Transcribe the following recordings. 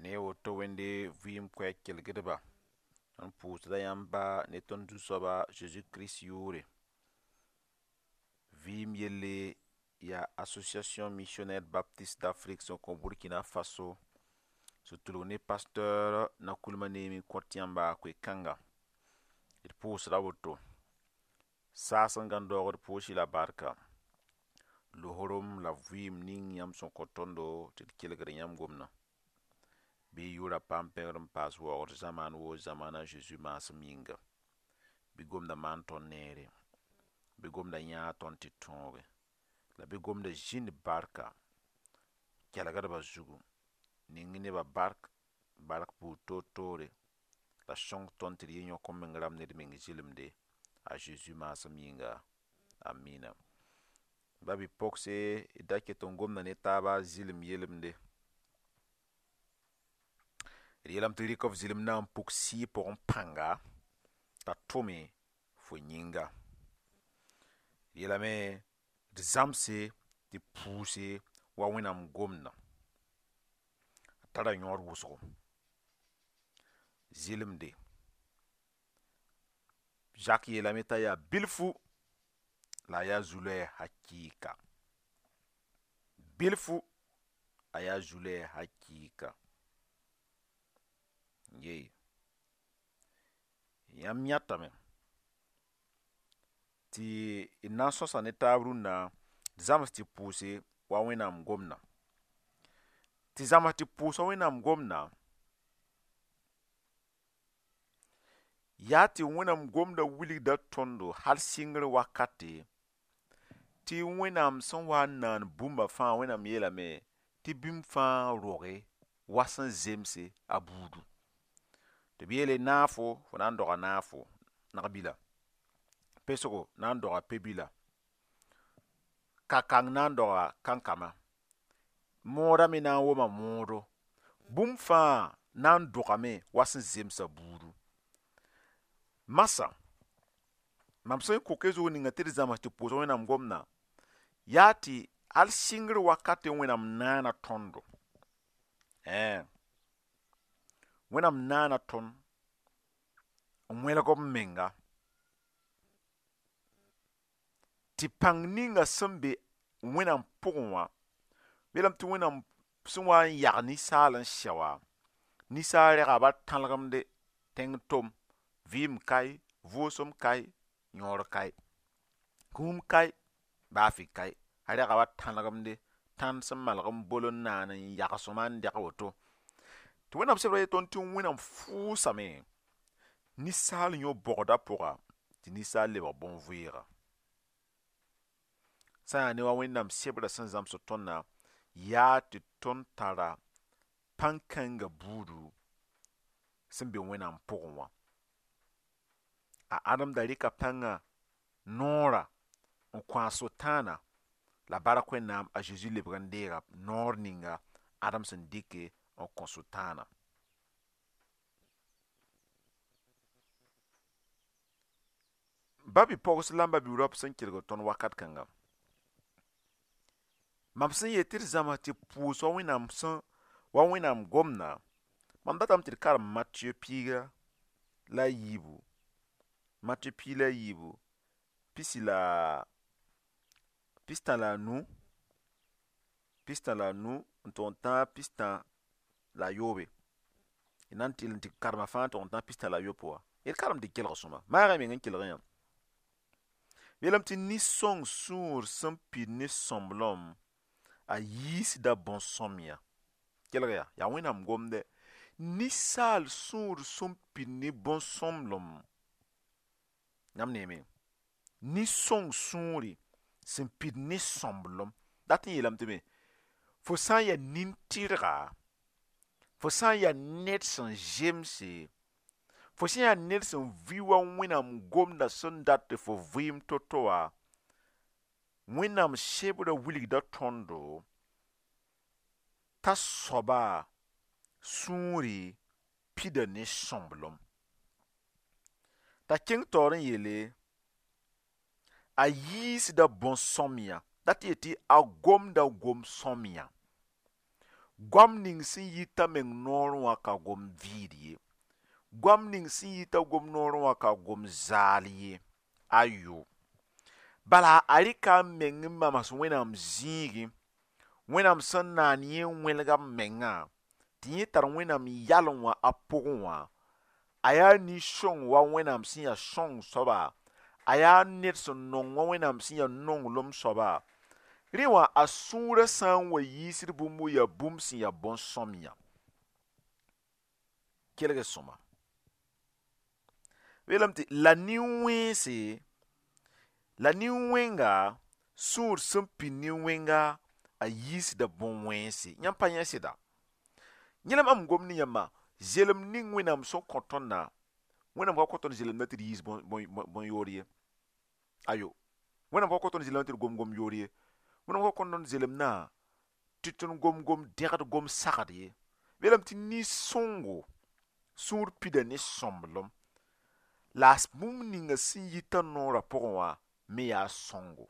Ne woto Wẽnde vɩɩm koɛɛg kelgdba, tõnd pʋʋsda yãmb ba ne tõnd Zu-soaba Zeezi Kirist yʋʋre. Vɩɩm yelle yaa Association Missionnaire Baptiste d'Afrique sẽn kõ Burkina Faso sẽn tʋlg ne pasteur Nakoulma Neemi n kõt yãmba koe-kãnga. D pʋʋsda woto. Saas n gãn daoog d pʋʋs-y la barka. Losorum la vɩɩm ning yãmb sẽn kõ tõndo tɩ d kelgd yãmb gomdã. Bɩ y yʋʋra paam pẽgr n paas waoogd zamaan woo zamaana Zeezi maasem yĩnga. Bɩ gomda maan tõnd neere. Bɩ gomda yãag tõnd tɩ tõoge. La bɩ gomda zĩnd barka kelgdbã zugu. Ning nebã bark, bark buud toor-toore la sõng tõnd tɩ d yɩ yõk n meng rãmb ned meng zɩlemde a Zeezi maasem yĩnga. Amina. Ba bi-pogse d da ket n gomda ne taaba zɩlem yelemde. D yeelame tɩ rɩk f zɩlem na n puk sɩɩg pʋgẽ pãnga t'a tʋme fo yĩnga. D yeelame d zãmse tɩ pʋʋse wa Wẽnnaam gomdã. A tara yõod wʋsgo. Zɩlemde. Zak yeelame t'a yaa bilfu la a yaa zu-loɛɛg hakɩɩka. Bilfu a yaa zu-loɛɛg hakɩɩka. Ye. Yãmb yãtame tɩ d na n sõsa ne taab rũnnã d zãms tɩ pʋʋse wa Wẽnnaam gomdã. Tɩ zãms tɩ pʋʋs wa Wẽnnaam gomdã yaa tɩ Wẽnnaam gomdã wilgda tõndo hal sɩngr wakate tɩ Wẽnnaam sẽn wa n naan bũmba fãa Wẽnnaam yeelame tɩ bũmb fãa roge wa sẽn zemse a buudu. Tɩ b yeele naafo fo na n doga naafo nag-bila, pesgo na n doga pe-bila, ka-kang na n doga kankama, moodã me na n woma moodo. Bũmb fãa na n dogame wa sẽn zemsa buudu. Masã, mam sẽn kok zug ninga tɩ d zãms tɩ pʋʋs Wẽnnaam gomdã yaa tɩ hal sɩngr wakate Wẽnnaam naana tõndo. Wẽnnaam naana tõnd n wẽlg b menga tɩ pãng ninga sẽn be Wẽnnaam pʋgẽ wã, yeelame tɩ Wẽnnaam sẽn wa n yag ninsaal n sɛ wã, ninsaal rɛga ba tãlgemde tẽng tom, vɩɩm kae, vʋʋsem kae, yõor kae, kũum kae, baafɩ kae. A rɛga ba tãlgemde tãnd sẽn malg n bol n naan n yag sõma n dɛg woto. Tɩ Wẽnnaam sebra yet tõnd tɩ Wẽnnaam fʋʋsame ninsaal yõ-bɔgdã pʋga tɩ ninsaal lebg bõn-vɩɩga. Sã n yaa ne wa Wẽnnaam sebrã sẽn zãmsd tõndã yaa tɩ tõnd tara pãn-kãngã buudu sẽn be Wẽnnaam pʋgẽ wã. A Adem da rɩka pãngã noorã n kõ a Sʋtãana la bark Wẽnnaam a Zeezi lebg n deega noor ninga Adem sẽn dɩke n kõ Sʋtãana. Ba bi-pogs la b ba-bi-raop sẽn kelg tõnd wakat kãnga. Mam sẽn yet tɩ d zãms tɩ pʋʋs wa Wẽnnaam sẽn wa Wẽnnaam gomdã, mam datame tɩ d karem Matɩyɛ piiga la a yiibu, Matɩyɛ piig la a yiibu, pisi la pistã la a nu, pistã la a nu n tʋg n tãag pistã la a yoobe. D na n tɩ tɩ karema fãa tʋg n tãag pistã la a yopoe wã. D karem tɩ kelg sõma. Maagã meng n kelg yã. Yeelame tɩ nin-sõng sũur sẽn pid ne sõmblem a yiisda bõn-sõmyã. Kelg yaa, yaa Wẽnnaam gomdɛ. Ninsaal sũur sẽn pid ne bõn-sõmblem. Yãmb neeme. Nin-sõng sũuri sẽn pid ne sõmblem. Dat n yeelame tɩ me, fo sã n yaa nin-tɩrga, fo sã n yaa ned sẽn zemse, fo sã n yaa ned sẽn vɩ wa Wẽnnaam gomdã sẽn dat tɩ fo vɩɩm to-to wã, Wẽnnaam sebrã wilgda tõndo t'a soaba sũuri pida ne sõmblem. T'a kẽng taoor n yeele a yiisda bõn-sõmyã, dat tɩ yetɩ a gomda gom-sõmyã. Goam ning sẽn yita meng noorẽ wã ka gom vɩɩd ye. Goam ning sẽn yita gom noorẽ wã ka gom zaal ye. Ayo. Bala a rɩka a meng n mams Wẽnnaam zĩigẽ, Wẽnnaam sẽn naan yẽ n wẽlga b mengã, tɩ yẽ tar Wẽnnaam yalẽ wã a pʋgẽ wã, a yaa nin-sõng wa Wẽnnaam sẽn yaa sõng soaba, a yaa ned sẽn nong wa Wẽnnaam sẽn yaa nonglem soaba. Rẽ wã a sũurã sã n wa yiisd bũmb yaa bũmb sẽn yaa bõn-sõmyã. Kelg sõma. Yeelame tɩ la nin-wẽnse, la nin-wẽnga sũur sẽn pid nin-wẽnga a yiisda bõn-wẽnse. Yãmb pa yẽ sɩda. Yẽ la mam gom ne yãmba, zelem ning Wẽnnaam sẽn kõ tõndã, Wẽnnaam ka kõ tõnd zelemdã tɩ d yiis bõn-yood ye. Ayo. Wẽnnaam ka kõ tõnd zelemdã tɩ d gom gom-yood ye. Wẽnnaam ka kõ tõnd zelemdã tɩ tõnd gom gom-dẽgd gom-sagd ye. Yeelame tɩ nin-sõngo sũur pida ne sõmblem la bũmb ninga sẽn yita noorã pʋgẽ wã me yaa sõngo.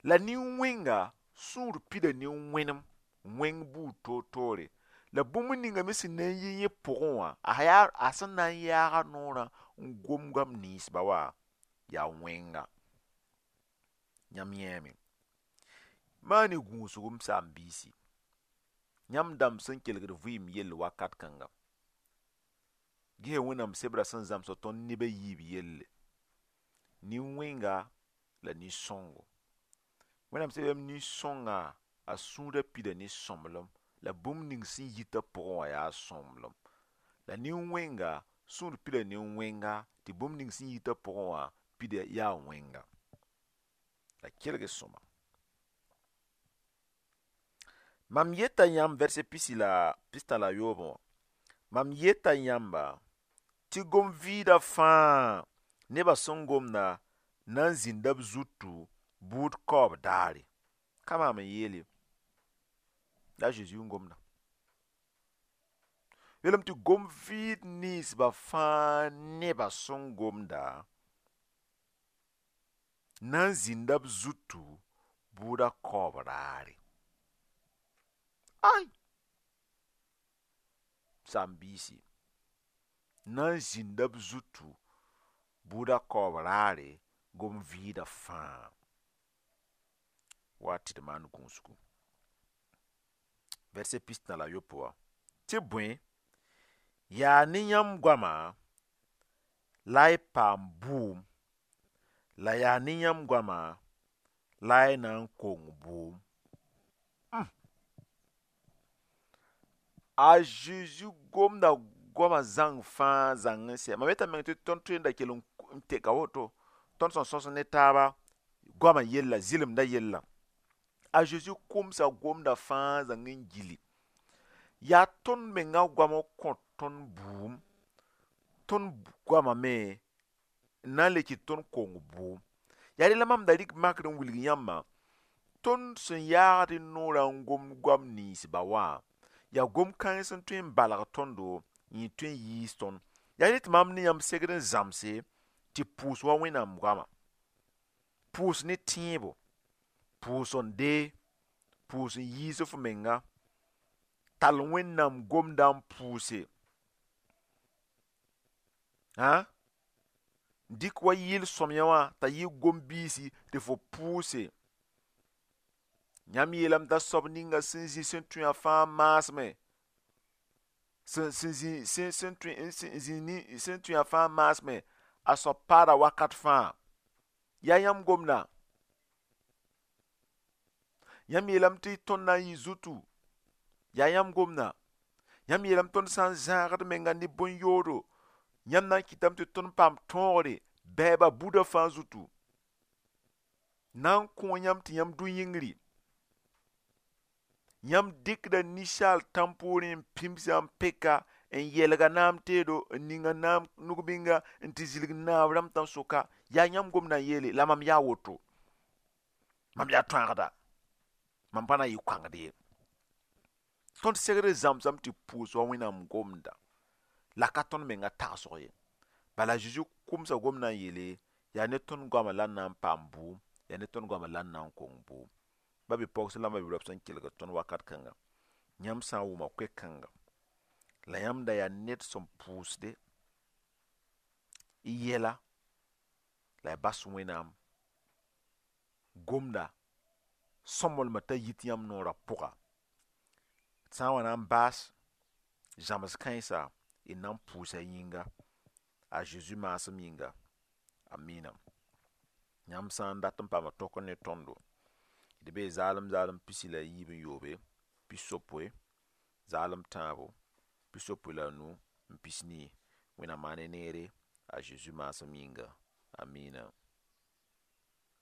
La nin-wẽnga sũur pida ne wẽnem, wẽng buud toor-toore. La bũmb ninga me sẽn na n yi yẽ pʋgẽ wã, a sẽn na n yaaga noorã n gom goam ninsba wã yaa wẽnga. Yãmb yẽeme. Maan-y gũusg m saam-biisi. Yãmb dãmb sẽn kelgd vɩɩm yell wakat kãnga. Ges Wẽnnaam sebrã sẽn zãmsd tõnd neb a yiib yelle. Nin-wẽnga la nin-sõngo. Wẽnnaam sebra nin-sõnga a sũurã pida ne sõmblem la bũmb ning sẽn yita pʋgẽ wã yaa sõmblem. La nin-wẽnga sũur pida ne wẽnga tɩ bũmb ning sẽn yita pʋgẽ wã pida yaa wẽnga. La kelg sõma. Mam yeta yãmb verset pisi la pistã la yoobẽ wã. Mam yeta yãmba tɩ gom vɩɩda fãa nebã sẽn gomda na n zĩnda b zutu buud kaoob daare. Ka maam n yeel ye. La Zeezi n gomda. Yeelame tɩ gom vɩɩd ninsba fãa nebã sẽn gomda na n zĩnda b zutu bʋʋda kaoob raare. Ay! Saam-biisi. Na n zĩnda b zutu bʋʋda kaoob raare gom vɩɩda fãa. Wa tɩ d maan gũusgu. Verset pistã la yopoe wã. Tɩ bõe, yaa ne yãmb goama la y paam bʋʋm, la yaa ne yãmb goama la y na n kong bʋʋm. A Zeezi gomda goamã zãng fãa zãng n sɛ. Mam yeta meng tɩ tõnd tõe n da kell n teka woto, tõnd sẽn sõs ne taaba goamã yella, zɩlemdã yella. A Zeezi kʋmsa gomda fãa zãng n gilli. Yaa tõnd menga goam n kõ tõnd bʋʋm, tõnd goamã me n na n le kɩt tõnd kong bʋʋm. Yaa rẽ la mam da rɩk makr n wilg yãmbã, tõnd sẽn yaagd noorã n gom goam ninsba wã, yaa gom kãens n tõe n balg tõndo yẽ tõe n yiis tõnd. Yaa rẽ tɩ mam ne yãmb segd n zãmse tɩ pʋʋs wa Wẽnnaam goama. Pʋʋs ne tẽebo, pʋʋs n dee, pʋʋs n yiis f menga, tall Wẽnnaam gomda n pʋʋse. Hã? Dɩk wa yɩl sõmyã wã t'a yɩ gom-biisi tɩ fo pʋʋse. Yãmb yeelame t'a soab ninga sẽn zĩ sẽn tõe wã fãa maasmẽ, sẽn zĩ sẽn tõe wã fãa maasmẽ, a soab paada wakat fãa. Yaa yãmb gomda. Yãmb yeelame tɩ tõnd na n yɩ zutu. Yaa yãmb gomda. Yãmb yeelame tõnd sã n zãagd menga ne bõn-yoodo, yãmb na n kɩtame tɩ tõnd paam tõogre bɛɛba buda fãa zutu. Na n kõ yãmb tɩ yãmb dʋ yĩngri. Yãmb dɩkda ninsaal tãm-poorẽ n pĩmsa n peka n yɛlga naam teedo n ninga naam nug-bĩnga n tɩ zilg naab rãmb tãn-soka. Yaa yãmb gomda n yeele la mam yaa woto. Mam yaa tõagda. Mam pa na n yɩ koãngd ye. Tõnd segd n zãmsame tɩ pʋʋs wa Wẽnnaam gomda. La ka tõnd menga tagsg ye. Bala Zeezi kʋmsa gomdã n yeele yaa ne tõnd goamã la n na n paam bʋʋm, yaa ne tõnd goamã la n na n kong bʋʋm. Ba bi-pɔgs la b bi-raob sẽn kelgd tõnd wakat kãnga. Yãmb sã n wʋma koe-kãnga, la yãmb da yaa ned sẽn pʋʋsde y yɛla la y bas Wẽnnaam gomda sõmblmã t'a yit yãmb noorã pʋga, d sã n wa na n baas zãms kãensa, y na n pʋʋsa yĩnga, a Zeezi maasem yĩnga. Amina. Yãmb sã n dat n paama tõk ne tõndo, d bee zaalem zaalem 63, 60 zaalem tãabo, 65. Wẽnnaam maan ne neere, a Zeezi maasem yĩnga. Amina.